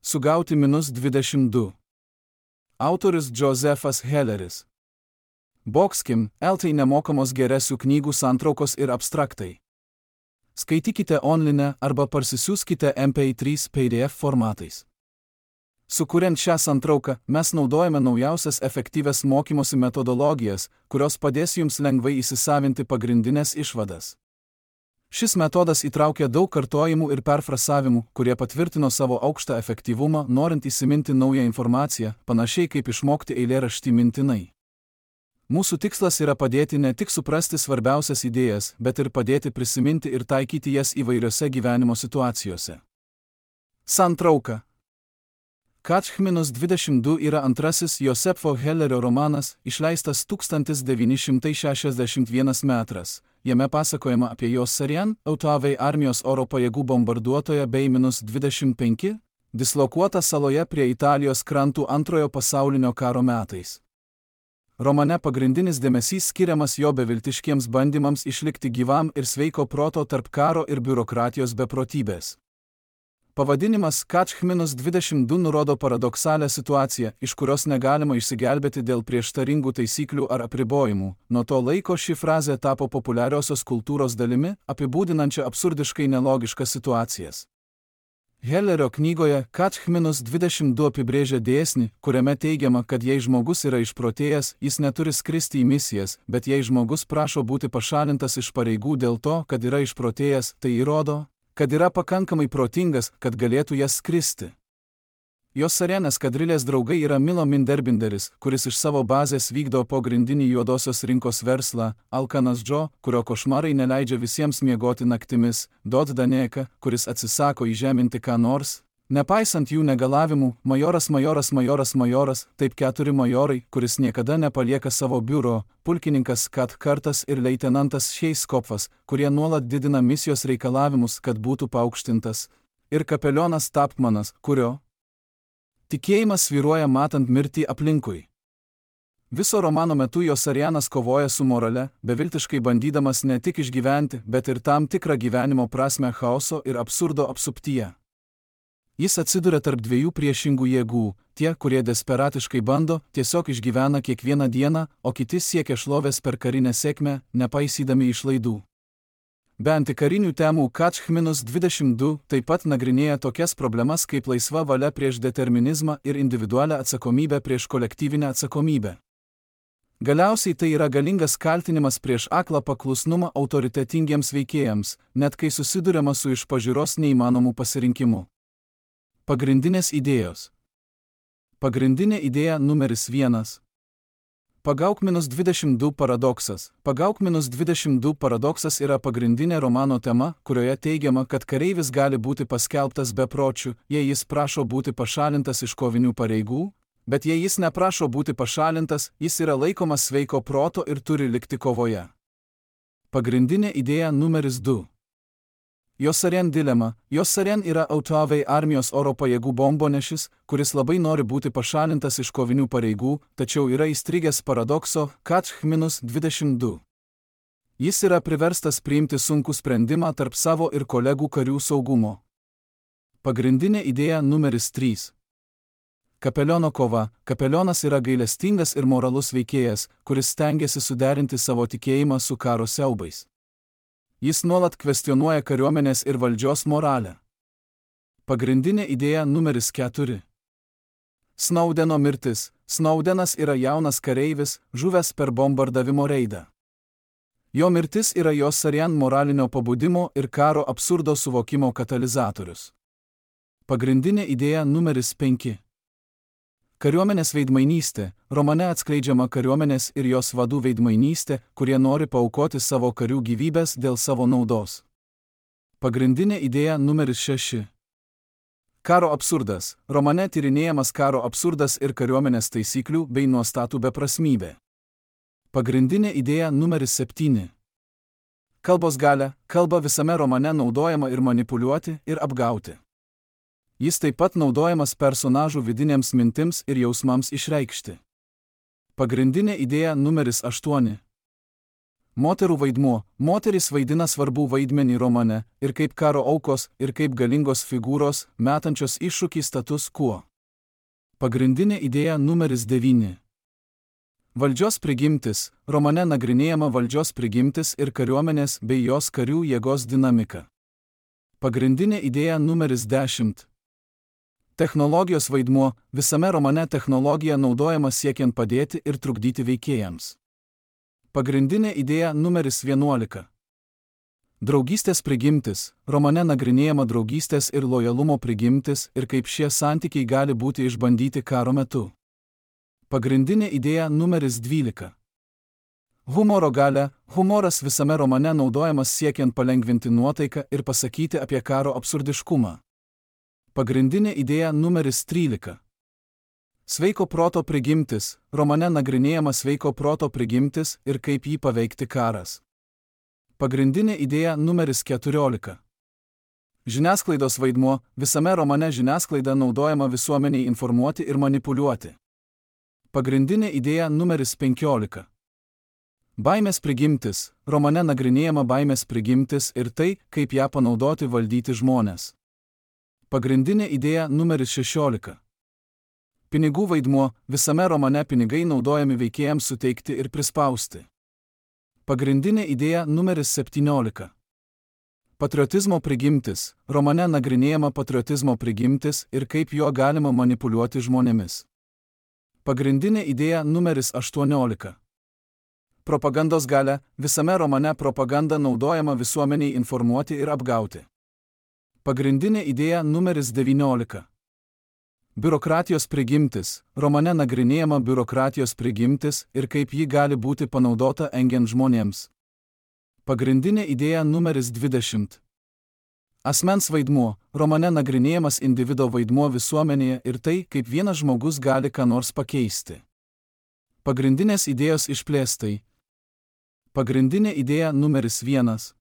Sugauti -22. Autorius Josephas Helleris. Boxkim, LT nemokamos geresių knygų santraukos ir abstraktai. Skaitykite online arba parsisiųskite MP3 PDF formatais. Sukuriant šią santrauką, mes naudojame naujausias efektyvias mokymosi metodologijas, kurios padės jums lengvai įsisavinti pagrindinės išvadas. Šis metodas įtraukia daug kartojimų ir perfrasavimų, kurie patvirtino savo aukštą efektyvumą, norint įsiminti naują informaciją, panašiai kaip išmokti eilėraštį mintinai. Mūsų tikslas yra padėti ne tik suprasti svarbiausias idėjas, bet ir padėti prisiminti ir taikyti jas įvairiose gyvenimo situacijose. Santrauka. Catch -22 yra antrasis Josepho Hellerio romanas, išleistas 1961 metras. Jame pasakojama apie Josarian, Autoavei armijos oro pajėgų bombarduotoją bei -25, dislokuotą saloje prie Italijos krantų Antrojo pasaulinio karo metais. Romane pagrindinis dėmesys skiriamas jo beviltiškiems bandymams išlikti gyvam ir sveiko proto tarp karo ir biurokratijos beprotybės. Pavadinimas Catch -22 nurodo paradoksalią situaciją, iš kurios negalima išsigelbėti dėl prieštaringų taisyklių ar apribojimų. Nuo to laiko ši frazė tapo populiariosios kultūros dalimi, apibūdinančia absurdiškai nelogiškas situacijas. Hellerio knygoje Catch -22 apibrėžia dėsnį, kuriame teigiama, kad jei žmogus yra išprotėjęs, jis neturi skristi į misijas, bet jei žmogus prašo būti pašalintas iš pareigų dėl to, kad yra išprotėjęs, tai įrodo, kad yra pakankamai protingas, kad galėtų jas skristi. Josarian eskadrilės draugai yra Milo Minderbinderis, kuris iš savo bazės vykdo pogrindinį juodosios rinkos verslą, Alkanas Džo, kurio košmarai neleidžia visiems miegoti naktimis, Dod Daneka, kuris atsisako įžeminti ką nors, nepaisant jų negalavimų, majoras, taip 4 majorai, kuris niekada nepalieka savo biuro, pulkininkas Kat Kartas ir leitenantas Šeiskopfas, kurie nuolat didina misijos reikalavimus, kad būtų paaukštintas, ir kapelionas Tapmanas, kurio tikėjimas svyruoja matant mirtį aplinkui. Viso romano metu Josarianas kovoja su morale, beviltiškai bandydamas ne tik išgyventi, bet ir tam tikrą gyvenimo prasme chaoso ir absurdo apsuptyje. Jis atsiduria tarp dviejų priešingų jėgų, tie, kurie desperatiškai bando, tiesiog išgyvena kiekvieną dieną, o kiti siekia šlovės per karinę sėkmę, nepaisydami išlaidų. Be antikarinių temų Catch -22 taip pat nagrinėja tokias problemas kaip laisva valia prieš determinizmą ir individualią atsakomybę prieš kolektyvinę atsakomybę. Galiausiai tai yra galingas kaltinimas prieš aklą paklusnumą autoritetingiems veikėjams, net kai susiduriama su iš pažiūros neįmanomu pasirinkimu. Pagrindinės idėjos. Pagrindinė idėja numeris 1. Pagauk -22 paradoksas. Pagauk -22 paradoksas yra pagrindinė romano tema, kurioje teigiama, kad kareivis gali būti paskelbtas bepročiu, jei jis prašo būti pašalintas iš kovinių pareigų, bet jei jis neprašo būti pašalintas, jis yra laikomas sveiko proto ir turi likti kovoje. Pagrindinė idėja numeris 2. Josarian dilema. Josarian yra Autoavei armijos oro pajėgų bombonešis, kuris labai nori būti pašalintas iš kovinių pareigų, tačiau yra įstrigęs paradokso Catch -22. Jis yra priverstas priimti sunkų sprendimą tarp savo ir kolegų karių saugumo. Pagrindinė idėja numeris 3. Kapeliono kova. Kapelionas yra gailestingas ir moralus veikėjas, kuris stengiasi suderinti savo tikėjimą su karo siaubais. Jis nuolat kvestionuoja kariuomenės ir valdžios moralę. Pagrindinė idėja numeris 4. Snaudeno mirtis. Snaudenas yra jaunas kareivis, žuvęs per bombardavimo reidą. Jo mirtis yra Josarian moralinio pabudimo ir karo absurdo suvokimo katalizatorius. Pagrindinė idėja numeris 5. Kariuomenės veidmainystė. Romane atskleidžiama kariuomenės ir jos vadų veidmainystė, kurie nori paaukoti savo karių gyvybės dėl savo naudos. Pagrindinė idėja numeris 6. Karo absurdas. Romane tyrinėjamas karo absurdas ir kariuomenės taisyklių bei nuostatų beprasmybė. Pagrindinė idėja numeris 7. Kalbos galia. Kalba visame romane naudojama ir manipuliuoti, ir apgauti. Jis taip pat naudojamas personažų vidinėms mintims ir jausmams išreikšti. Pagrindinė idėja numeris 8. Moterų vaidmuo. Moterys vaidina svarbų vaidmenį romane, ir kaip karo aukos, ir kaip galingos figūros, metančios iššūkį status quo. Pagrindinė idėja numeris 9. Valdžios prigimtis. Romane nagrinėjama valdžios prigimtis ir kariuomenės bei jos karių jėgos dinamika. Pagrindinė idėja numeris 10. Technologijos vaidmuo. Visame romane technologija naudojama siekiant padėti ir trukdyti veikėjams. Pagrindinė idėja numeris 11. Draugystės prigimtis. Romane nagrinėjama draugystės ir lojalumo prigimtis ir kaip šie santykiai gali būti išbandyti karo metu. Pagrindinė idėja numeris 12. Humoro galia. Humoras visame romane naudojamas siekiant palengvinti nuotaiką ir pasakyti apie karo absurdiškumą. Pagrindinė idėja numeris 13. Sveiko proto prigimtis. Romane nagrinėjama sveiko proto prigimtis ir kaip jį paveikti karas. Pagrindinė idėja numeris 14. Žiniasklaidos vaidmuo. Visame romane žiniasklaida naudojama visuomeniai informuoti ir manipuliuoti. Pagrindinė idėja numeris 15. Baimės prigimtis. Romane nagrinėjama baimės prigimtis ir tai, kaip ją panaudoti valdyti žmones. Pagrindinė idėja numeris 16. Pinigų vaidmuo. Visame romane pinigai naudojami veikėjams suteikti ir prispausti. Pagrindinė idėja numeris 17. Patriotizmo prigimtis. Romane nagrinėjama patriotizmo prigimtis ir kaip juo galima manipuliuoti žmonėmis. Pagrindinė idėja numeris 18. Propagandos galia. Visame romane propaganda naudojama visuomeniai informuoti ir apgauti. Pagrindinė idėja numeris 19. Biurokratijos prigimtis. Romane nagrinėjama biurokratijos prigimtis ir kaip ji gali būti panaudota engiant žmonėms. Pagrindinė idėja numeris 20. Asmens vaidmuo. Romane nagrinėjamas individo vaidmuo visuomenėje ir tai, kaip vienas žmogus gali ką nors pakeisti. Pagrindinės idėjos išplėstai. Pagrindinė idėja numeris 1.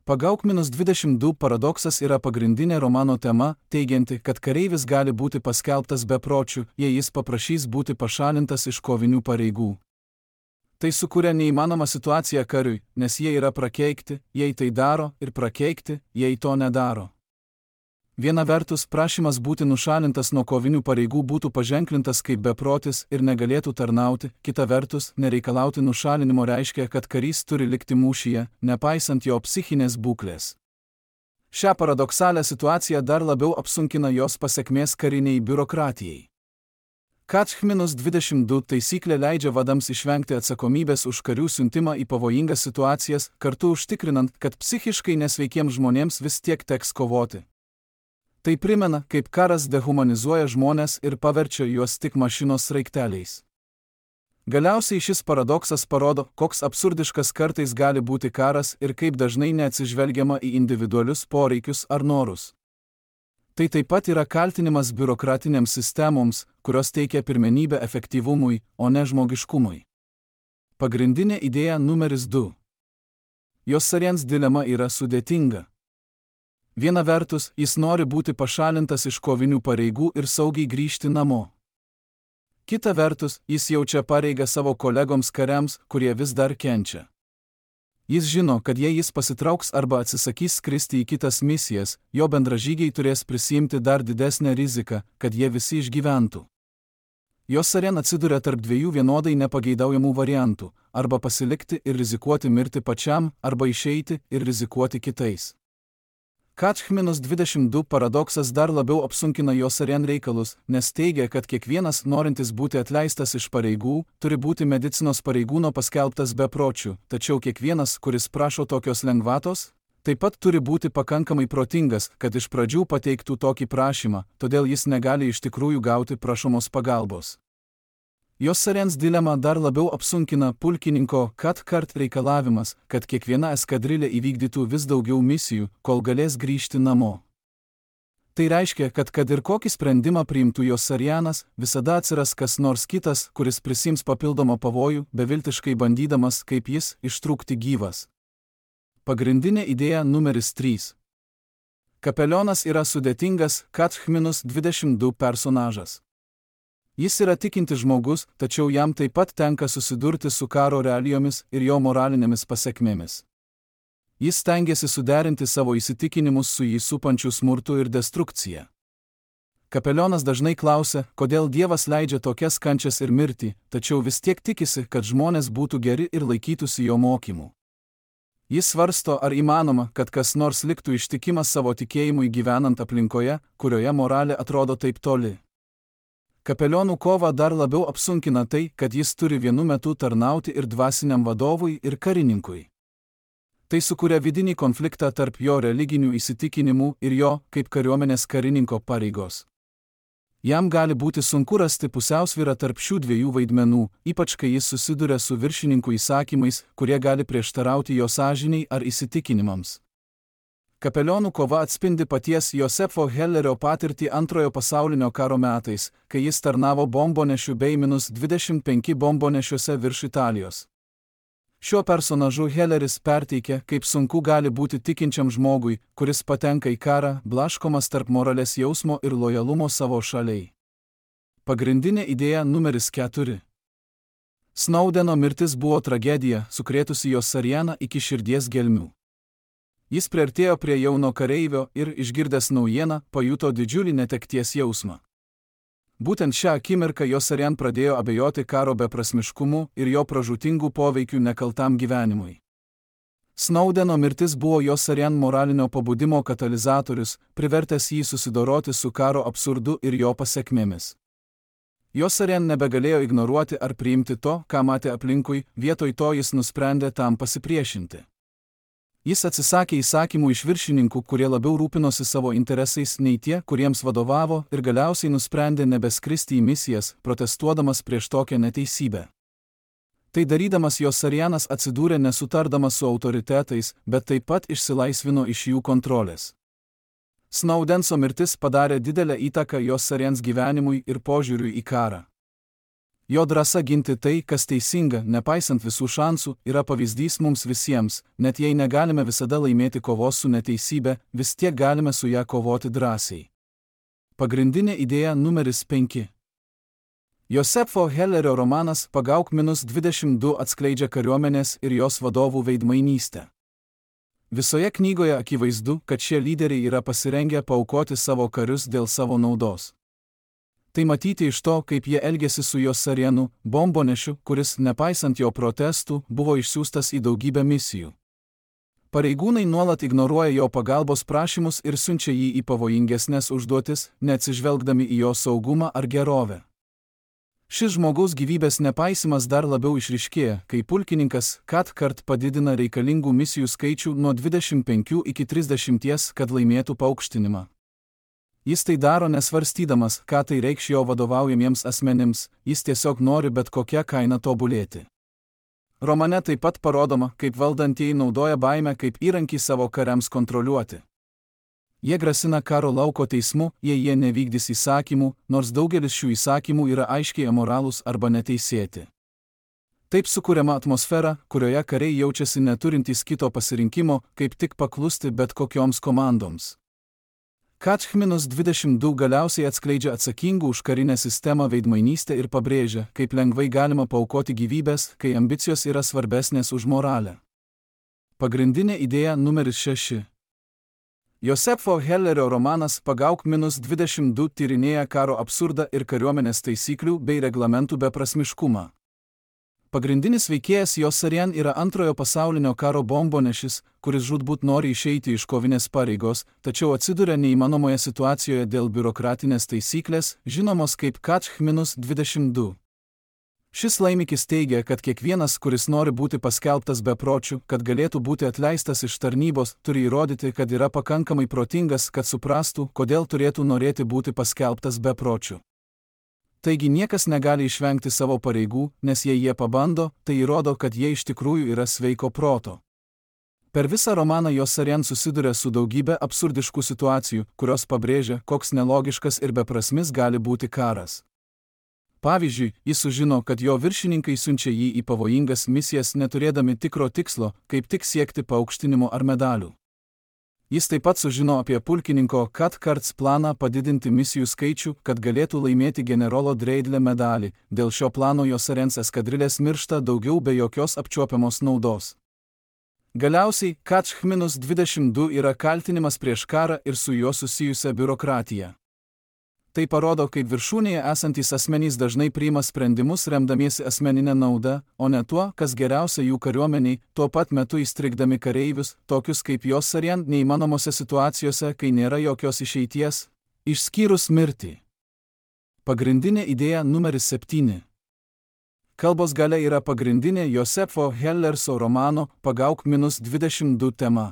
Pagauk-22 paradoksas yra pagrindinė romano tema, teigianti, kad kareivis gali būti paskelbtas bepročiu, jei jis paprašys būti pašalintas iš kovinių pareigų. Tai sukuria neįmanomą situaciją kariui, nes jie yra prakeikti, jei tai daro, ir prakeikti, jei to nedaro. Viena vertus, prašymas būti nušalintas nuo kovinių pareigų būtų paženklintas kaip beprotis ir negalėtų tarnauti, kita vertus, nereikalauti nušalinimo reiškia, kad karys turi likti mūšyje, nepaisant jo psichinės būklės. Šią paradoksalią situaciją dar labiau apsunkina jos pasekmės kariniai biurokratijai. Catch-22 taisyklė leidžia vadams išvengti atsakomybės už karių siuntimą į pavojingas situacijas, kartu užtikrinant, kad psichiškai nesveikiems žmonėms vis tiek teks kovoti. Tai primena, kaip karas dehumanizuoja žmones ir paverčia juos tik mašinos sraigteliais. Galiausiai šis paradoksas parodo, koks absurdiškas kartais gali būti karas ir kaip dažnai neatsižvelgiama į individualius poreikius ar norus. Tai taip pat yra kaltinimas biurokratinėms sistemoms, kurios teikia pirmenybę efektyvumui, o ne žmogiškumui. Pagrindinė idėja numeris 2. Yossarians dilema yra sudėtinga. Viena vertus, jis nori būti pašalintas iš kovinių pareigų ir saugiai grįžti namo. Kita vertus, jis jaučia pareigą savo kolegoms kariams, kurie vis dar kenčia. Jis žino, kad jei jis pasitrauks arba atsisakys skristi į kitas misijas, jo bendražygiai turės prisiimti dar didesnę riziką, kad jie visi išgyventų. Yossarian atsiduria tarp dviejų vienodai nepageidaujamų variantų – arba pasilikti ir rizikuoti mirti pačiam, arba išeiti ir rizikuoti kitais. Catch-22 paradoksas dar labiau apsunkina Yossarian reikalus, nes teigia, kad kiekvienas norintis būti atleistas iš pareigų, turi būti medicinos pareigūno paskelbtas bepročiu, tačiau kiekvienas, kuris prašo tokios lengvatos, taip pat turi būti pakankamai protingas, kad iš pradžių pateiktų tokį prašymą, todėl jis negali iš tikrųjų gauti prašomos pagalbos. Yossarians dilema dar labiau apsunkina pulkininko Cathcart reikalavimas, kad kiekviena eskadrilė įvykdytų vis daugiau misijų, kol galės grįžti namo. Tai reiškia, kad ir kokį sprendimą priimtų Yossarianas, visada atsiras kas nors kitas, kuris prisiims papildomą pavojų, beviltiškai bandydamas, kaip jis, ištrūkti gyvas. Pagrindinė idėja numeris 3. Kapelionas yra sudėtingas Catch-22 personažas. Jis yra tikintis žmogus, tačiau jam taip pat tenka susidurti su karo realijomis ir jo moralinėmis pasekmėmis. Jis stengiasi suderinti savo įsitikinimus su jį supančiu smurtu ir destrukcija. Kapelionas dažnai klausia, kodėl Dievas leidžia tokias kančias ir mirtį, tačiau vis tiek tikisi, kad žmonės būtų geri ir laikytųsi jo mokymų. Jis svarsto, ar įmanoma, kad kas nors liktų ištikimas savo tikėjimui gyvenant aplinkoje, kurioje moralė atrodo taip toli. Kapelionų kovą dar labiau apsunkina tai, kad jis turi vienu metu tarnauti ir dvasiniam vadovui, ir karininkui. Tai sukuria vidinį konfliktą tarp jo religinių įsitikinimų ir jo, kaip kariuomenės karininko pareigos. Jam gali būti sunku rasti pusiausvyrą tarp šių dviejų vaidmenų, ypač kai jis susiduria su viršininkų įsakymais, kurie gali prieštarauti jo sąžinei ar įsitikinimams. Kapelionų kova atspindi paties Josefo Hellerio patirtį Antrojo pasaulinio karo metais, kai jis tarnavo bombonešių bei -25 bombonešiuose virš Italijos. Šiuo personažu Helleris perteikia, kaip sunku gali būti tikinčiam žmogui, kuris patenka į karą, blaškomas tarp moralės jausmo ir lojalumo savo šaliai. Pagrindinė idėja numeris 4. Snowdeno mirtis buvo tragedija, sukrėtusi jo Sarianą iki širdies gelmių. Jis priartėjo prie jauno kareivio ir, išgirdęs naujieną, pajuto didžiulį netekties jausmą. Būtent šią akimirką jo Sarian pradėjo abejoti karo beprasmiškumu ir jo pražūtingų poveikių nekaltam gyvenimui. Snowdeno mirtis buvo jo Sarian moralinio pabudimo katalizatorius, privertęs jį susidoroti su karo absurdu ir jo pasekmėmis. Jo Sarian nebegalėjo ignoruoti ar priimti to, ką matė aplinkui, vietoj to jis nusprendė tam pasipriešinti. Jis atsisakė įsakymų iš viršininkų, kurie labiau rūpinosi savo interesais nei tie, kuriems vadovavo, ir galiausiai nusprendė nebeskristi į misijas, protestuodamas prieš tokią neteisybę. Tai darydamas jo Sarianas atsidūrė nesutardamas su autoritetais, bet taip pat išsilaisvino iš jų kontrolės. Snowdenso mirtis padarė didelę įtaką jo Sarians gyvenimui ir požiūriui į karą. Jo drąsa ginti tai, kas teisinga, nepaisant visų šansų, yra pavyzdys mums visiems, net jei negalime visada laimėti kovos su neteisybė, vis tiek galime su ją kovoti drąsiai. Pagrindinė idėja numeris 5. Josefo Hellerio romanas Pagauk -22 atskleidžia kariuomenės ir jos vadovų veidmainystę. Visoje knygoje akivaizdu, kad šie lyderiai yra pasirengę paaukoti savo karius dėl savo naudos. Tai matyti iš to, kaip jie elgėsi su jo Sarianu, bombonešiu, kuris, nepaisant jo protestų, buvo išsiųstas į daugybę misijų. Pareigūnai nuolat ignoruoja jo pagalbos prašymus ir siunčia jį į pavojingesnes užduotis, neatsižvelgdami į jo saugumą ar gerovę. Šis žmogaus gyvybės nepaisimas dar labiau išryškėja, kai pulkininkas kart padidina reikalingų misijų skaičių nuo 25 iki 30, kad laimėtų paaukštinimą. Jis tai daro nesvarstydamas, ką tai reikš jo vadovaujamiems asmenims, jis tiesiog nori bet kokią kainą tobulėti. Romane taip pat parodoma, kaip valdantieji naudoja baimę kaip įrankį savo kariams kontroliuoti. Jie grasina karo lauko teismu, jei jie nevykdys įsakymų, nors daugelis šių įsakymų yra aiškiai amoralūs arba neteisėti. Taip sukuriama atmosfera, kurioje kariai jaučiasi neturintys kito pasirinkimo, kaip tik paklusti bet kokioms komandoms. Katch-22 galiausiai atskleidžia atsakingų už karinę sistemą veidmainystę ir pabrėžia, kaip lengvai galima paaukoti gyvybės, kai ambicijos yra svarbesnės už moralę. Pagrindinė idėja numeris 6. Josefo Hellerio romanas Pagauk -22 tyrinėja karo absurdą ir kariuomenės taisyklių bei reglamentų beprasmiškumą. Pagrindinis veikėjas jo Sarian yra Antrojo pasaulinio karo bombonešis, kuris žūtbūt nori išeiti iš kovinės pareigos, tačiau atsiduria neįmanomoje situacijoje dėl biurokratinės taisyklės, žinomos kaip Katch-22. Šis laimikis teigia, kad kiekvienas, kuris nori būti paskelbtas bepročiu, kad galėtų būti atleistas iš tarnybos, turi įrodyti, kad yra pakankamai protingas, kad suprastų, kodėl turėtų norėti būti paskelbtas bepročiu. Taigi niekas negali išvengti savo pareigų, nes jei jie pabando, tai įrodo, kad jie iš tikrųjų yra sveiko proto. Per visą romaną jo Sarian susiduria su daugybė absurdiškų situacijų, kurios pabrėžia, koks nelogiškas ir beprasmis gali būti karas. Pavyzdžiui, jis sužino, kad jo viršininkai siunčia jį į pavojingas misijas neturėdami tikro tikslo, kaip tik siekti paaukštinimo ar medalių. Jis taip pat sužino apie pulkininko Cathcarts planą padidinti misijų skaičių, kad galėtų laimėti generolo Dreidle medalį. Dėl šio plano Josarians eskadrilės miršta daugiau be jokios apčiuopiamos naudos. Galiausiai, Catch-22 yra kaltinimas prieš karą ir su juo susijusią biurokratiją. Tai parodo, kaip viršūnėje esantys asmenys dažnai priima sprendimus remdamiesi asmeninę naudą, o ne tuo, kas geriausia jų kariuomeniai, tuo pat metu įstrigdami kareivius, tokius kaip Josarian neįmanomose situacijose, kai nėra jokios išeities, išskyrus mirtį. Pagrindinė idėja numeris 7. Kalbos galia yra pagrindinė Josefo Hellerso romano Pagauk-22 tema.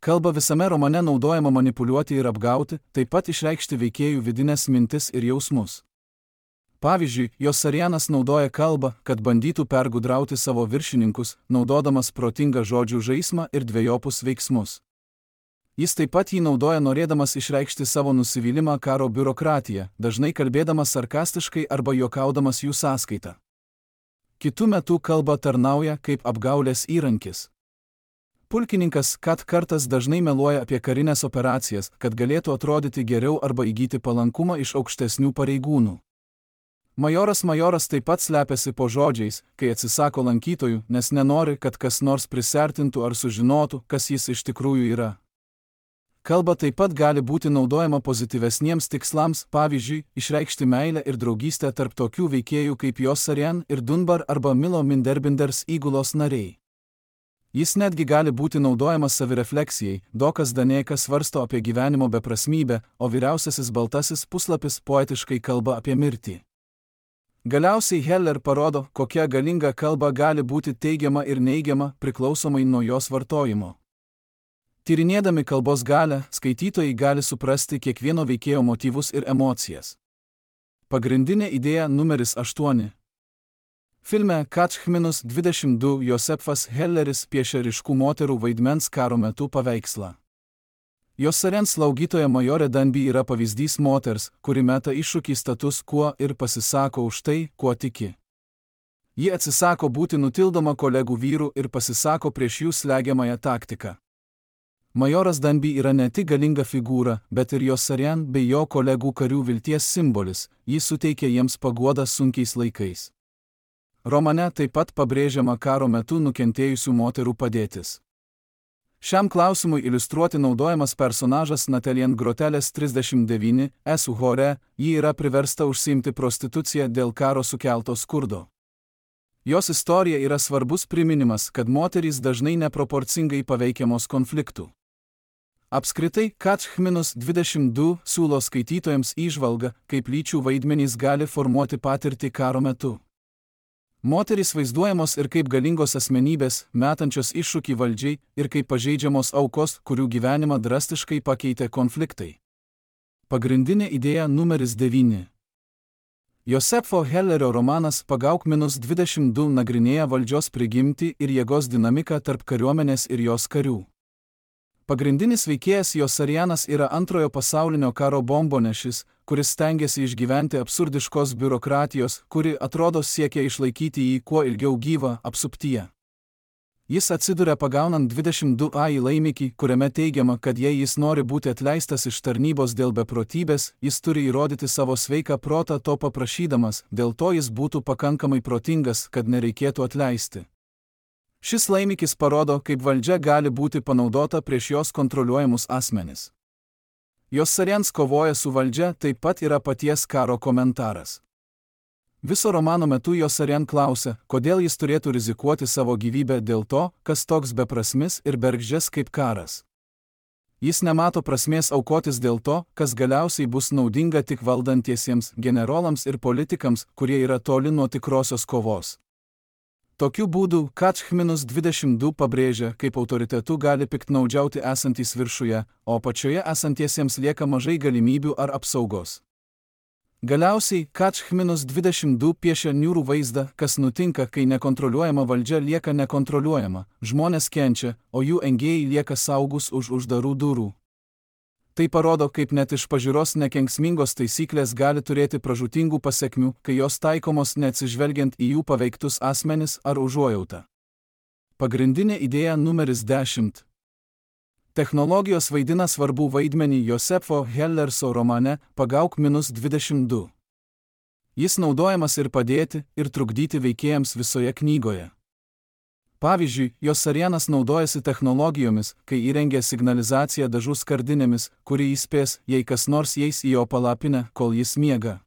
Kalba visame romane naudojama manipuliuoti ir apgauti, taip pat išreikšti veikėjų vidinės mintis ir jausmus. Pavyzdžiui, Josarianas naudoja kalbą, kad bandytų pergudrauti savo viršininkus, naudodamas protingą žodžių žaismą ir dvejopus veiksmus. Jis taip pat jį naudoja norėdamas išreikšti savo nusivylimą karo biurokratiją, dažnai kalbėdamas sarkastiškai arba juokaudamas jų sąskaitą. Kitu metu kalba tarnauja kaip apgaulės įrankis. Pulkininkas Cathcartas dažnai meluoja apie karinės operacijas, kad galėtų atrodyti geriau arba įgyti palankumą iš aukštesnių pareigūnų. Majoras taip pat slepiasi po žodžiais, kai atsisako lankytojų, nes nenori, kad kas nors prisertintų ar sužinotų, kas jis iš tikrųjų yra. Kalba taip pat gali būti naudojama pozityvesniems tikslams, pavyzdžiui, išreikšti meilę ir draugystę tarp tokių veikėjų kaip Josarian ir Dunbar arba Milo Minderbinders įgulos nariai. Jis netgi gali būti naudojamas savirefleksijai, Dokas Danėkas svarsto apie gyvenimo beprasmybę, o vyriausiasis baltasis puslapis poetiškai kalba apie mirtį. Galiausiai Heller parodo, kokia galinga kalba gali būti teigiama ir neigiama priklausomai nuo jos vartojimo. Tyrinėdami kalbos galią, skaitytojai gali suprasti kiekvieno veikėjo motyvus ir emocijas. Pagrindinė idėja numeris 8. Filme Catch-22 Josefas Helleris piešia ryškų moterų vaidmens karo metu paveikslą. Josarians slaugytoja majorė Danby yra pavyzdys moters, kuri meta iššūkį status quo ir pasisako už tai, kuo tiki. Ji atsisako būti nutildoma kolegų vyrų ir pasisako prieš jų slegiamąją taktiką. Majoras Danby yra ne tik galinga figūra, bet ir Josarian bei jo kolegų karių vilties simbolis, jis suteikia jiems paguodą sunkiais laikais. Romane taip pat pabrėžiama karo metu nukentėjusių moterų padėtis. Šiam klausimui iliustruoti naudojamas personažas Natalien Grotelės 39 Esu Hore, ji yra priversta užsiimti prostituciją dėl karo sukelto skurdo. Jos istorija yra svarbus priminimas, kad moterys dažnai neproporcingai paveikiamos konfliktų. Apskritai, Catch-22 siūlo skaitytojams įžvalgą, kaip lyčių vaidmenys gali formuoti patirtį karo metu. Moterys vaizduojamos ir kaip galingos asmenybės, metančios iššūkį valdžiai, ir kaip pažeidžiamos aukos, kurių gyvenimą drastiškai pakeitė konfliktai. Pagrindinė idėja numeris 9. Josefo Hellerio romanas Pagauk-22 nagrinėja valdžios prigimtį ir jėgos dinamiką tarp kariuomenės ir jos karių. Pagrindinis veikėjas Josarianas yra Antrojo pasaulinio karo bombonešis, kuris stengiasi išgyventi absurdiškos biurokratijos, kuri atrodo siekia išlaikyti jį kuo ilgiau gyvą apsuptyje. Jis atsiduria pagaunant 22A į laimikį, kuriame teigiama, kad jei jis nori būti atleistas iš tarnybos dėl beprotybės, jis turi įrodyti savo sveiką protą to paprašydamas, dėl to jis būtų pakankamai protingas, kad nereikėtų atleisti. Šis laimikis parodo, kaip valdžia gali būti panaudota prieš jos kontroliuojamus asmenis. Josarians kovoja su valdžia taip pat yra paties karo komentaras. Viso romano metu Josarian klausia, kodėl jis turėtų rizikuoti savo gyvybę dėl to, kas toks beprasmis ir bergždžias kaip karas. Jis nemato prasmės aukotis dėl to, kas galiausiai bus naudinga tik valdantiesiems, generolams ir politikams, kurie yra toli nuo tikrosios kovos. Tokiu būdu Catch-22 pabrėžia, kaip autoritetu gali piktnaudžiauti esantys viršuje, o apačioje esantiesiems lieka mažai galimybių ar apsaugos. Galiausiai Catch-22 piešia niūrų vaizdą, kas nutinka, kai nekontroliuojama valdžia lieka nekontroliuojama, žmonės kenčia, o jų engėjai lieka saugus už uždarų durų. Tai parodo, kaip net iš pažiūros nekenksmingos taisyklės gali turėti pražūtingų pasekmių, kai jos taikomos neatsižvelgiant į jų paveiktus asmenis ar užuojautą. Pagrindinė idėja numeris 10. Technologijos vaidina svarbų vaidmenį Josefo Hellerso romane Pagauk-22. Jis naudojamas ir padėti, ir trukdyti veikėjams visoje knygoje. Pavyzdžiui, Josarianas naudojasi technologijomis, kai įrengia signalizaciją dažų skardinėmis, kuri įspės, jei kas nors eis į jo palapinę, kol jis miega.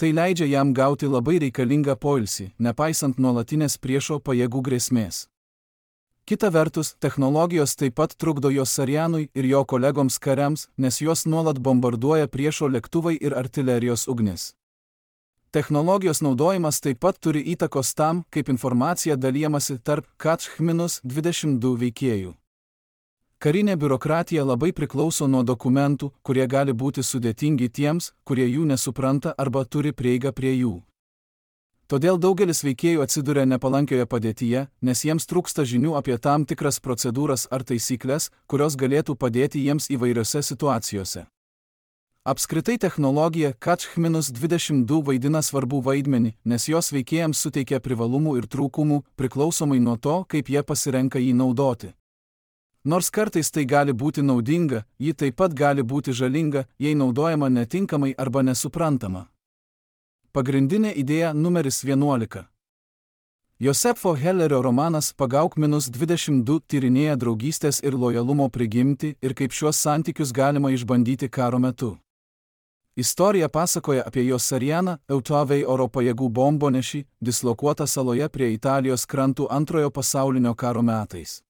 Tai leidžia jam gauti labai reikalingą poilsį, nepaisant nuolatinės priešo pajėgų grėsmės. Kita vertus, technologijos taip pat trukdo Josarianui ir jo kolegoms kariams, nes juos nuolat bombarduoja priešo lėktuvai ir artilerijos ugnis. Technologijos naudojimas taip pat turi įtakos tam, kaip informacija dalijamasi tarp Kach-22 veikėjų. Karinė biurokratija labai priklauso nuo dokumentų, kurie gali būti sudėtingi tiems, kurie jų nesupranta arba turi prieigą prie jų. Todėl daugelis veikėjų atsiduria nepalankioje padėtyje, nes jiems trūksta žinių apie tam tikras procedūras ar taisyklės, kurios galėtų padėti jiems įvairiose situacijose. Apskritai technologija Kach-22 vaidina svarbų vaidmenį, nes jos veikėjams suteikia privalumų ir trūkumų, priklausomai nuo to, kaip jie pasirenka jį naudoti. Nors kartais tai gali būti naudinga, ji taip pat gali būti žalinga, jei naudojama netinkamai arba nesuprantama. Pagrindinė idėja numeris 11. Josefo Hellerio romanas Pagauk-22 tyrinėja draugystės ir lojalumo prigimtį ir kaip šiuos santykius galima išbandyti karo metu. Istorija pasakoja apie Josarianą, Eutavei oro pajėgų bombonešį, dislokuotą saloje prie Italijos krantų Antrojo pasaulinio karo metais.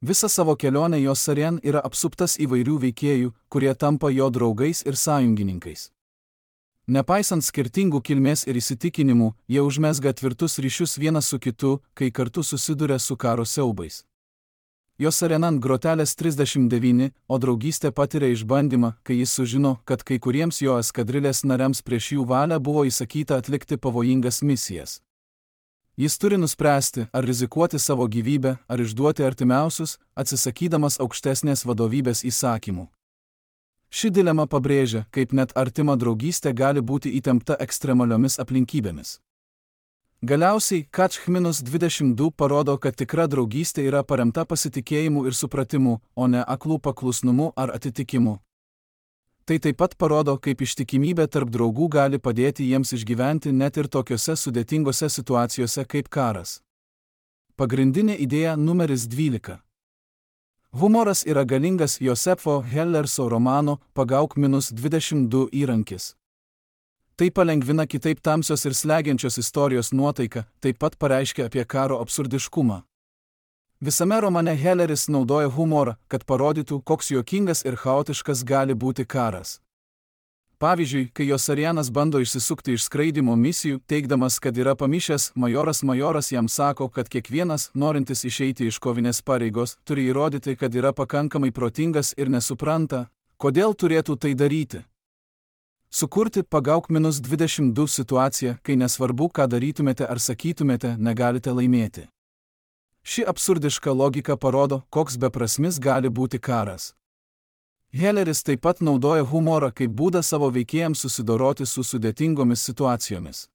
Visą savo kelionę Josarian yra apsuptas įvairių veikėjų, kurie tampa jo draugais ir sąjungininkais. Nepaisant skirtingų kilmės ir įsitikinimų, jie užmezga tvirtus ryšius vienas su kitu, kai kartu susiduria su karo siaubais. Josarian grotelės 39, o draugystė patiria išbandymą, kai jis sužino, kad kai kuriems jo eskadrilės nariams prieš jų valią buvo įsakyta atlikti pavojingas misijas. Jis turi nuspręsti, ar rizikuoti savo gyvybę, ar išduoti artimiausius, atsisakydamas aukštesnės vadovybės įsakymų. Ši dilema pabrėžia, kaip net artima draugystė gali būti įtempta ekstremaliomis aplinkybėmis. Galiausiai, Kach-22 parodo, kad tikra draugystė yra paremta pasitikėjimu ir supratimu, o ne aklų paklusnumu ar atitikimu. Tai taip pat parodo, kaip ištikimybė tarp draugų gali padėti jiems išgyventi net ir tokiose sudėtingose situacijose kaip karas. Pagrindinė idėja numeris 12. Humoras yra galingas Josefo Hellerso romano Pagauk-22 įrankis. Tai palengvina kitaip tamsios ir slegiančios istorijos nuotaiką, taip pat pareiškia apie karo absurdiškumą. Visame romane Helleris naudoja humorą, kad parodytų, koks juokingas ir chaotiškas gali būti karas. Pavyzdžiui, kai Josarianas bando išsisukti iš skraidymo misijų, teigdamas, kad yra pamišęs, majoras jam sako, kad kiekvienas, norintis išeiti iš kovinės pareigos, turi įrodyti, kad yra pakankamai protingas ir nesupranta, kodėl turėtų tai daryti. Sukurti Pagauk-22 situaciją, kai nesvarbu, ką darytumėte ar sakytumėte, negalite laimėti. Ši absurdiška logika parodo, koks beprasmis gali būti karas. Helleris taip pat naudoja humorą kaip būdą savo veikėjams susidoroti su sudėtingomis situacijomis.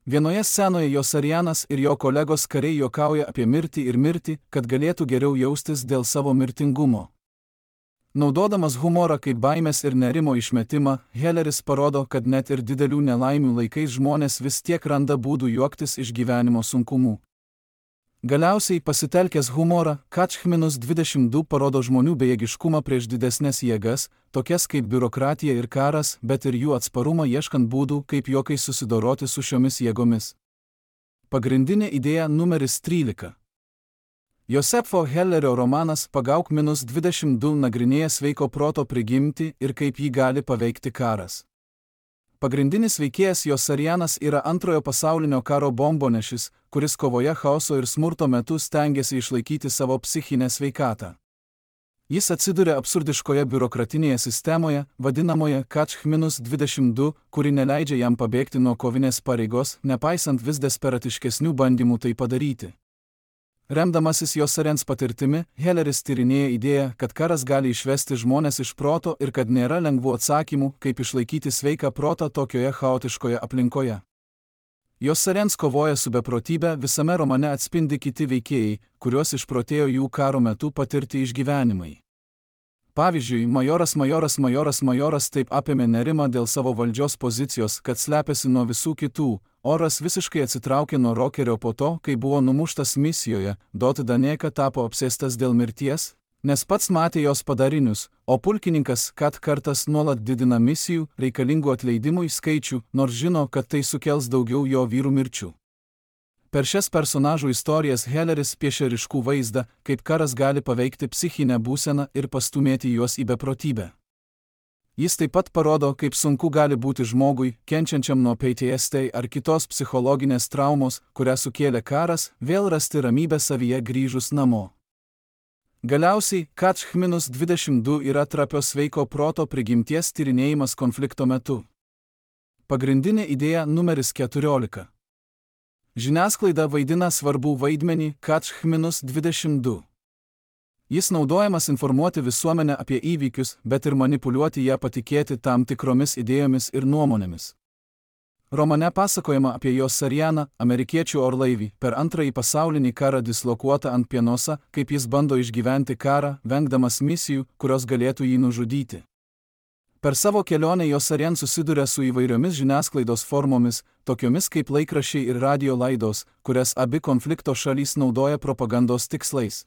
Vienoje scenoje Josarianas ir jo kolegos kariai juokauja apie mirtį ir mirtį, kad galėtų geriau jaustis dėl savo mirtingumo. Naudodamas humorą kaip baimės ir nerimo išmetimą, Helleris parodo, kad net ir didelių nelaimių laikais žmonės vis tiek randa būdų juoktis iš gyvenimo sunkumų. Galiausiai, pasitelkęs humorą, Kach-22 parodo žmonių bejėgiškumą prieš didesnės jėgas, tokias kaip biurokratija ir karas, bet ir jų atsparumą ieškant būdų, kaip juokais susidoroti su šiomis jėgomis. Pagrindinė idėja numeris 13. Josefo Hellerio romanas Pagauk-22 nagrinėja sveiko proto prigimtį ir kaip jį gali paveikti karas. Pagrindinis veikėjas Josarianas yra Antrojo pasaulinio karo bombonešis, kuris kovoje chaoso ir smurto metu stengiasi išlaikyti savo psichinę sveikatą. Jis atsiduria absurdiškoje biurokratinėje sistemoje, vadinamoje Kach-22, kuri neleidžia jam pabėgti nuo kovinės pareigos, nepaisant vis desperatiškesnių bandymų tai padaryti. Remdamasis Josarians patirtimi, Helleris tyrinėja idėją, kad karas gali išvesti žmones iš proto ir kad nėra lengvų atsakymų, kaip išlaikyti sveiką protą tokioje chaotiškoje aplinkoje. Josarians kovoja su beprotybė, visame romane atspindi kiti veikėjai, kuriuos išprotėjo jų karo metu patirti išgyvenimai. Pavyzdžiui, majoras taip apėmė nerimą dėl savo valdžios pozicijos, kad slepiasi nuo visų kitų. Oras visiškai atsitraukė nuo Rokerio po to, kai buvo numuštas misijoje, Dot Daneka tapo apsėstas dėl mirties, nes pats matė jos padarinius, o pulkininkas Kat kartas nuolat didina misijų reikalingų atleidimui skaičių, nors žino, kad tai sukels daugiau jo vyrų mirčių. Per šias personažų istorijas Helleris piešia ryškų vaizdą, kaip karas gali paveikti psichinę būseną ir pastumėti juos į beprotybę. Jis taip pat parodo, kaip sunku gali būti žmogui, kenčiančiam nuo PTSD ar kitos psichologinės traumos, kurią sukėlė karas, vėl rasti ramybę savyje grįžus namo. Galiausiai, Catch-22 yra trapios sveiko proto prigimties tyrinėjimas konflikto metu. Pagrindinė idėja numeris 14. Žiniasklaida vaidina svarbų vaidmenį Catch-22. Jis naudojamas informuoti visuomenę apie įvykius, bet ir manipuliuoti ją patikėti tam tikromis idėjomis ir nuomonėmis. Romane pasakojama apie Josarianą, amerikiečių orlaivį, per Antrąjį pasaulinį karą dislokuotą ant Pienosa, kaip jis bando išgyventi karą, vengdamas misijų, kurios galėtų jį nužudyti. Per savo kelionę Josarian susiduria su įvairiomis žiniasklaidos formomis, tokiomis kaip laikraščiai ir radio laidos, kurias abi konflikto šalys naudoja propagandos tikslais.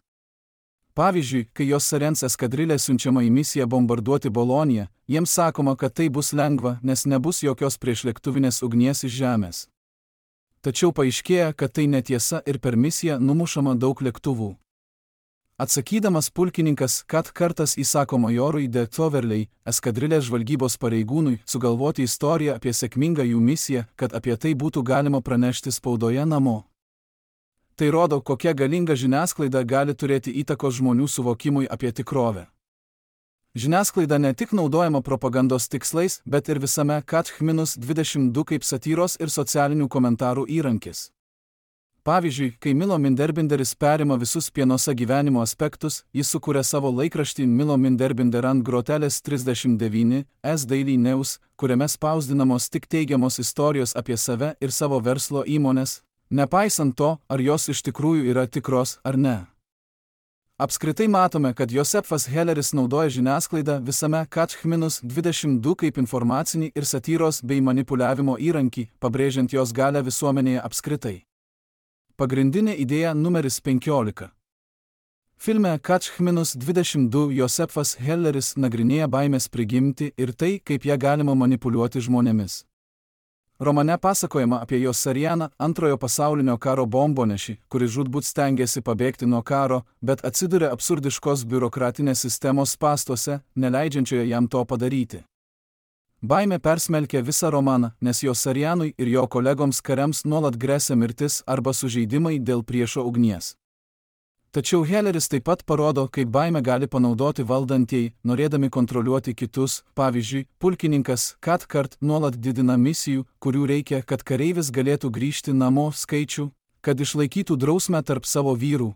Pavyzdžiui, kai Josarians eskadrilė siunčiama į misiją bombarduoti Boloniją, jiems sakoma, kad tai bus lengva, nes nebus jokios priešlėktuvinės ugnies iš žemės. Tačiau paaiškėja, kad tai netiesa ir per misiją numušama daug lėktuvų. Atsakydamas pulkininkas Kat kartas įsako majorui de Toverley, eskadrilės žvalgybos pareigūnui, sugalvoti istoriją apie sėkmingą jų misiją, kad apie tai būtų galima pranešti spaudoje namo. Tai rodo, kokia galinga žiniasklaida gali turėti įtakos žmonių suvokimui apie tikrovę. Žiniasklaida ne tik naudojama propagandos tikslais, bet ir visame Catch-22 kaip satyros ir socialinių komentarų įrankis. Pavyzdžiui, kai Milo Minderbinderis perima visus Pienosa gyvenimo aspektus, jis sukuria savo laikraštį Milo Minderbinder ant grotelės 39, S Daily News, kuriame spausdinamos tik teigiamos istorijos apie save ir savo verslo įmones, nepaisant to, ar jos iš tikrųjų yra tikros ar ne. Apskritai matome, kad Josefas Helleris naudoja žiniasklaidą visame Catch-22 kaip informacinį ir satyros bei manipuliavimo įrankį, pabrėžiant jos galią visuomenėje apskritai. Pagrindinė idėja numeris 15. Filme Catch-22 Josefas Helleris nagrinėja baimės prigimtį ir tai, kaip ją galima manipuliuoti žmonėmis. Romane pasakojama apie Josarianą, Antrojo pasaulinio karo bombonešį, kuris žūtbūt stengiasi pabėgti nuo karo, bet atsiduria absurdiškos biurokratinės sistemos spąstuose, neleidžiančioje jam to padaryti. Baimė persmelkia visą romaną, nes Josarianui ir jo kolegoms kariams nuolat gresia mirtis arba sužeidimai dėl priešo ugnies. Tačiau Helleris taip pat parodo, kaip baimę gali panaudoti valdantieji, norėdami kontroliuoti kitus. Pavyzdžiui, pulkininkas Kat kart nuolat didina misijų, kurių reikia, kad kareivis galėtų grįžti namo skaičių, kad išlaikytų drausmę tarp savo vyrų.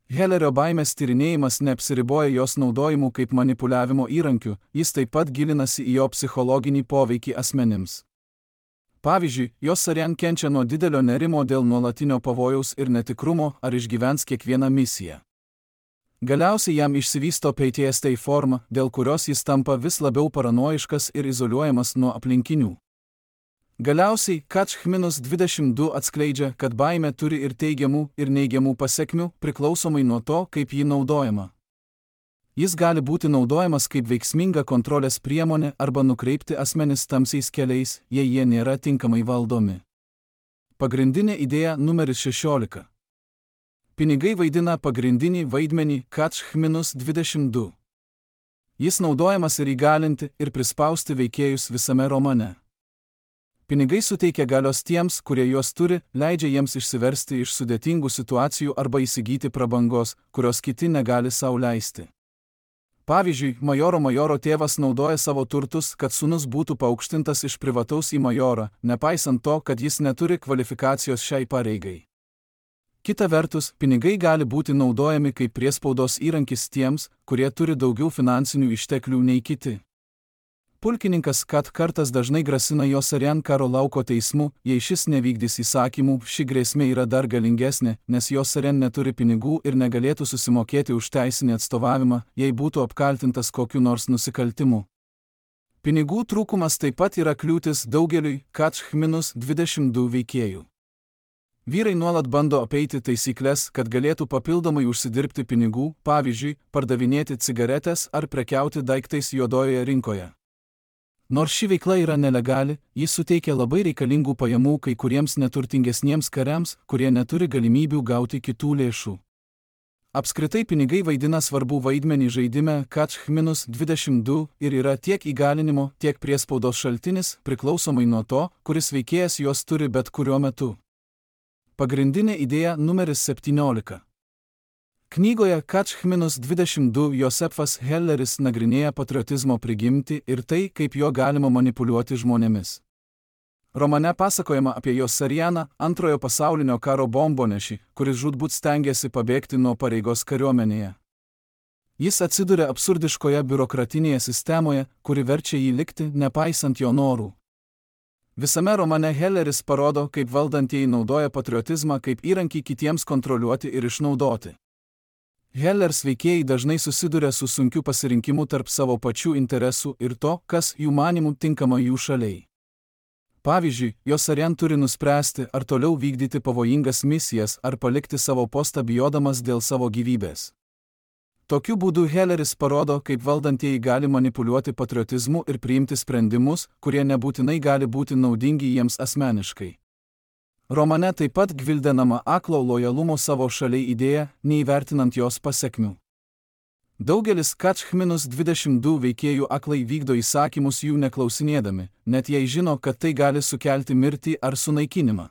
Hellerio baimės tyrinėjimas neapsiriboja jos naudojimu kaip manipuliavimo įrankiu, jis taip pat gilinasi į jo psichologinį poveikį asmenims. Pavyzdžiui, Josarian kenčia nuo didelio nerimo dėl nuolatinio pavojaus ir netikrumo, ar išgyvens kiekvieną misiją. Galiausiai jam išsivysto PTSD forma, dėl kurios jis tampa vis labiau paranoiškas ir izoliuojamas nuo aplinkinių. Galiausiai, Catch-22 atskleidžia, kad baimė turi ir teigiamų, ir neigiamų pasekmių, priklausomai nuo to, kaip ji naudojama. Jis gali būti naudojamas kaip veiksminga kontrolės priemonė arba nukreipti asmenis tamsiais keliais, jei jie nėra tinkamai valdomi. Pagrindinė idėja numeris 16. Pinigai vaidina pagrindinį vaidmenį Catch-22. Jis naudojamas ir įgalinti, ir prispausti veikėjus visame romane. Pinigai suteikia galios tiems, kurie juos turi, leidžia jiems išsiversti iš sudėtingų situacijų arba įsigyti prabangos, kurios kiti negali sau leisti. Pavyzdžiui, majoro tėvas naudoja savo turtus, kad sūnus būtų paaukštintas iš privataus į majorą, nepaisant to, kad jis neturi kvalifikacijos šiai pareigai. Kita vertus, pinigai gali būti naudojami kaip priespaudos įrankis tiems, kurie turi daugiau finansinių išteklių nei kiti. pulkininkas Kat Kartas dažnai grasina Josarian karo lauko teismu, jei šis nevykdys įsakymų, ši grėsmė yra dar galingesnė, nes Josarian neturi pinigų ir negalėtų susimokėti už teisinį atstovavimą, jei būtų apkaltintas kokiu nors nusikaltimu. Pinigų trūkumas taip pat yra kliūtis daugeliui Katch-22 veikėjų. Vyrai nuolat bando apeiti taisyklės, kad galėtų papildomai užsidirbti pinigų, pavyzdžiui, pardavinėti cigaretės ar prekiauti daiktais juodojoje rinkoje. Nors ši veikla yra nelegali, ji suteikia labai reikalingų pajamų kai kuriems neturtingesniems kariams, kurie neturi galimybių gauti kitų lėšų. Apskritai pinigai vaidina svarbų vaidmenį žaidime Katch-22 ir yra tiek įgalinimo, tiek priespaudos šaltinis, priklausomai nuo to, kuris veikėjas juos turi bet kuriuo metu. Pagrindinė idėja numeris 17. Knygoje Katch-22 Josefas Helleris nagrinėja patriotizmo prigimtį ir tai, kaip jo galima manipuliuoti žmonėmis. Romane pasakojama apie Josarianą, Antrojo pasaulinio karo bombonešį, kuris žūtbūt stengėsi pabėgti nuo pareigos kariuomenėje. Jis atsiduria absurdiškoje biurokratinėje sistemoje, kuri verčia jį likti, nepaisant jo norų. Visame romane Helleris parodo, kaip valdantieji naudoja patriotizmą kaip įrankį kitiems kontroliuoti ir išnaudoti. Hellers veikėjai dažnai susiduria su sunkiu pasirinkimu tarp savo pačių interesų ir to, kas jų manimų tinkama jų šaliai. Pavyzdžiui, Josarian turi nuspręsti, ar toliau vykdyti pavojingas misijas, ar palikti savo postą bijodamas dėl savo gyvybės. Tokiu būdu Helleris parodo, kaip valdantieji gali manipuliuoti patriotizmu ir priimti sprendimus, kurie nebūtinai gali būti naudingi jiems asmeniškai. Romane taip pat gvildenama aklo lojalumo savo šaliai idėja, neįvertinant jos pasekmių. Daugelis Katch-22 veikėjų aklai vykdo įsakymus jų neklausinėdami, net jei žino, kad tai gali sukelti mirtį ar sunaikinimą.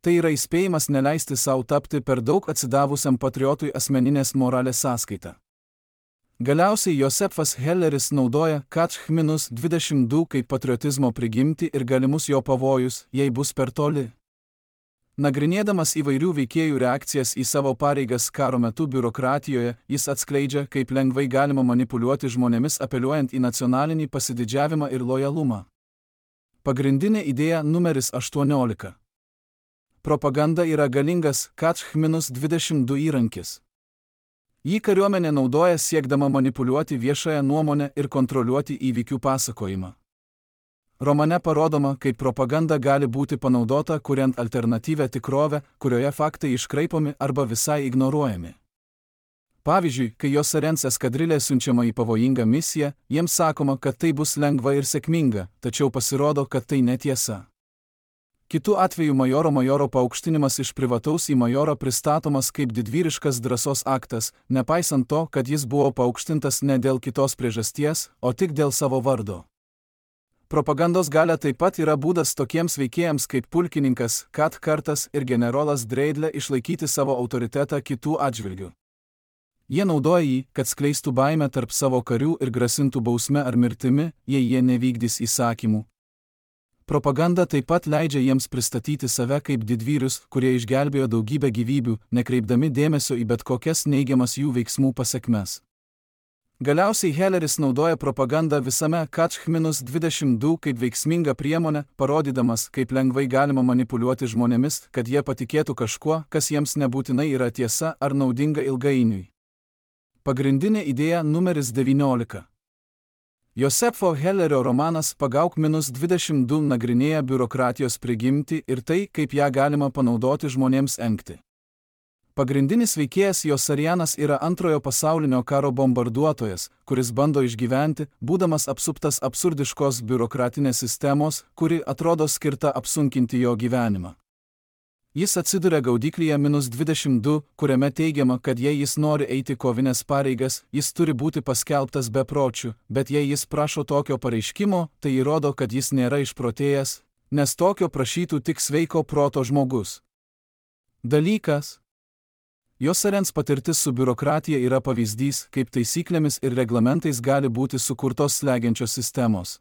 Tai yra įspėjimas neleisti savo tapti per daug atsidavusiam patriotui asmeninės moralės sąskaitą. Galiausiai Josefas Helleris naudoja Katch-22 kaip patriotizmo prigimtį ir galimus jo pavojus, jei bus per toli. Nagrinėdamas įvairių veikėjų reakcijas į savo pareigas karo metu biurokratijoje, jis atskleidžia, kaip lengvai galima manipuliuoti žmonėmis apeliuojant į nacionalinį pasididžiavimą ir lojalumą. Pagrindinė idėja numeris 18. Propaganda yra galingas Katch-22 įrankis. Jį kariuomenė naudoja siekdama manipuliuoti viešąją nuomonę ir kontroliuoti įvykių pasakojimą. Romane parodoma, kaip propaganda gali būti panaudota, kuriant alternatyvią tikrovę, kurioje faktai iškraipomi arba visai ignoruojami. Pavyzdžiui, kai Josarians eskadrilė siunčiama į pavojingą misiją, jiems sakoma, kad tai bus lengva ir sėkminga, tačiau pasirodo, kad tai netiesa. Kitu atveju majoro paaukštinimas iš privataus į majorą pristatomas kaip didvyriškas drąsos aktas, nepaisant to, kad jis buvo paaukštintas ne dėl kitos priežasties, o tik dėl savo vardo. Propagandos galia taip pat yra būdas tokiems veikėjams kaip pulkininkas Kat Kartas ir generolas Dreidle išlaikyti savo autoritetą kitų atžvilgių. Jie naudoja jį, kad skleistų baimę tarp savo karių ir grasintų bausme ar mirtimi, jei jie nevykdys įsakymų. Propaganda taip pat leidžia jiems pristatyti save kaip didvyrius, kurie išgelbėjo daugybę gyvybių, nekreipdami dėmesio į bet kokias neigiamas jų veiksmų pasekmes. Galiausiai Helleris naudoja propagandą visame Katch-22 kaip veiksmingą priemonę, parodydamas, kaip lengvai galima manipuliuoti žmonėmis, kad jie patikėtų kažkuo, kas jiems nebūtinai yra tiesa ar naudinga ilgainiui. Pagrindinė idėja numeris 19. Josefo Hellerio romanas Pagauk-22 nagrinėja biurokratijos prigimtį ir tai, kaip ją galima panaudoti žmonėms engti. Pagrindinis veikėjas Josarianas yra Antrojo pasaulinio karo bombarduotojas, kuris bando išgyventi, būdamas apsuptas absurdiškos biurokratinės sistemos, kuri atrodo skirta apsunkinti jo gyvenimą. Jis atsiduria gaudyklyje -22, kuriame teigiama, kad jei jis nori eiti kovinės pareigas, jis turi būti paskelbtas bepročiu, bet jei jis prašo tokio pareiškimo, tai įrodo, kad jis nėra išprotėjęs, nes tokio prašytų tik sveiko proto žmogus. Dalykas. Josarians patirtis su biurokratija yra pavyzdys, kaip taisyklėmis ir reglamentais gali būti sukurtos slegiančios sistemos.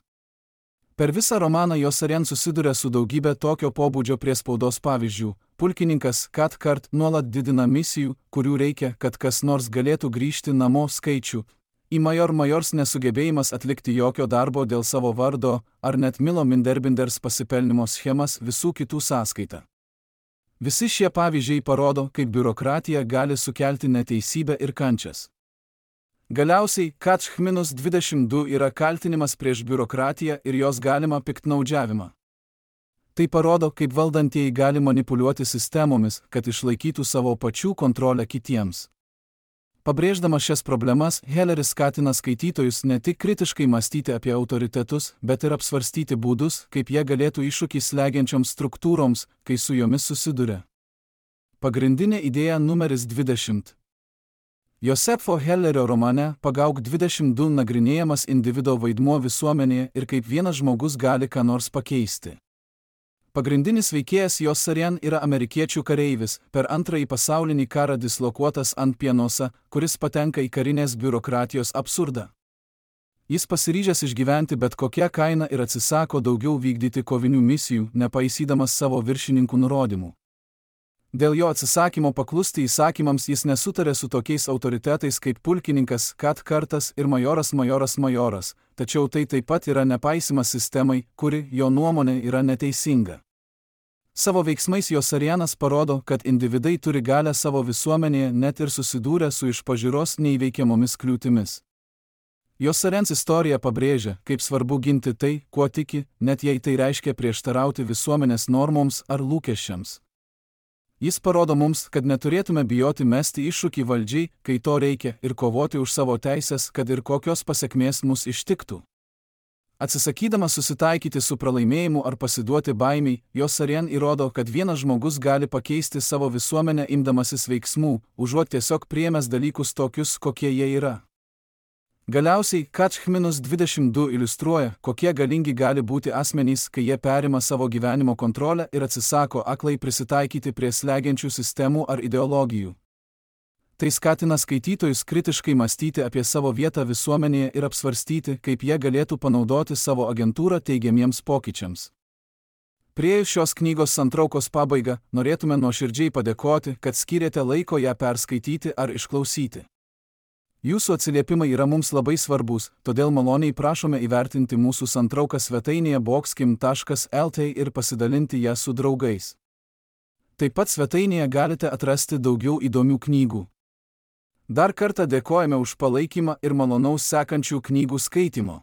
Per visą romaną Josarian susiduria su daugybė tokio pobūdžio priespaudos pavyzdžių. Pulkininkas Kat Kart nuolat didina misijų, kurių reikia, kad kas nors galėtų grįžti namo skaičių. į majors nesugebėjimas atlikti jokio darbo dėl savo vardo, ar net Milo Minderbinders pasipelnimo schemas visų kitų sąskaita. Visi šie pavyzdžiai parodo, kaip biurokratija gali sukelti neteisybę ir kančias. Galiausiai, Catch-22 yra kaltinimas prieš biurokratiją ir jos galimą piktnaudžiavimą. Tai parodo, kaip valdantieji gali manipuliuoti sistemomis, kad išlaikytų savo pačių kontrolę kitiems. Pabrėždamas šias problemas, Helleris skatina skaitytojus ne tik kritiškai mąstyti apie autoritetus, bet ir apsvarstyti būdus, kaip jie galėtų iššūkį slegiančioms struktūroms, kai su jomis susiduria. Pagrindinė idėja numeris 20. Josefo Hellerio romane Pagauk 22 nagrinėjamas individo vaidmuo visuomenėje ir kaip vienas žmogus gali ką nors pakeisti. Pagrindinis veikėjas Josarian yra amerikiečių kareivis, per Antrąjį pasaulinį karą dislokuotas ant Pienosa, kuris patenka į karinės biurokratijos absurdą. Jis pasiryžęs išgyventi bet kokią kainą ir atsisako daugiau vykdyti kovinių misijų, nepaisydamas savo viršininkų nurodymų. Dėl jo atsisakymo paklusti įsakymams jis nesutarė su tokiais autoritetais kaip pulkininkas Kartas ir majoras, tačiau tai taip pat yra nepaisymas sistemai, kuri, jo nuomonė, yra neteisinga. Savo veiksmais Josarianas parodo, kad individai turi galią savo visuomenėje net ir susidūrę su iš pažiūros neįveikiamomis kliūtimis. Josarians istorija pabrėžia, kaip svarbu ginti tai, kuo tiki, net jei tai reiškia prieštarauti visuomenės normoms ar lūkesčiams. Jis parodo mums, kad neturėtume bijoti mesti iššūkį valdžiai, kai to reikia, ir kovoti už savo teisės, kad ir kokios pasekmės mus ištiktų. Atsisakydamas susitaikyti su pralaimėjimu ar pasiduoti baimiai, Josarian įrodo, kad vienas žmogus gali pakeisti savo visuomenę imdamasis veiksmų, užuot tiesiog priėmęs dalykus tokius, kokie jie yra. Galiausiai, Catch-22 iliustruoja, kokie galingi gali būti asmenys, kai jie perima savo gyvenimo kontrolę ir atsisako aklai prisitaikyti prie slegiančių sistemų ar ideologijų. Tai skatina skaitytojus kritiškai mąstyti apie savo vietą visuomenėje ir apsvarstyti, kaip jie galėtų panaudoti savo agentūrą teigiamiems pokyčiams. Priėjus šios knygos santraukos pabaigą, norėtume nuoširdžiai padėkoti, kad skyrėte laiko ją perskaityti ar išklausyti. Jūsų atsiliepimai yra mums labai svarbus, todėl maloniai prašome įvertinti mūsų santrauką svetainėje boxkim.lt ir pasidalinti ją su draugais. Taip pat svetainėje galite atrasti daugiau įdomių knygų. Dar kartą dėkojame už palaikymą ir malonaus sekančių knygų skaitymo.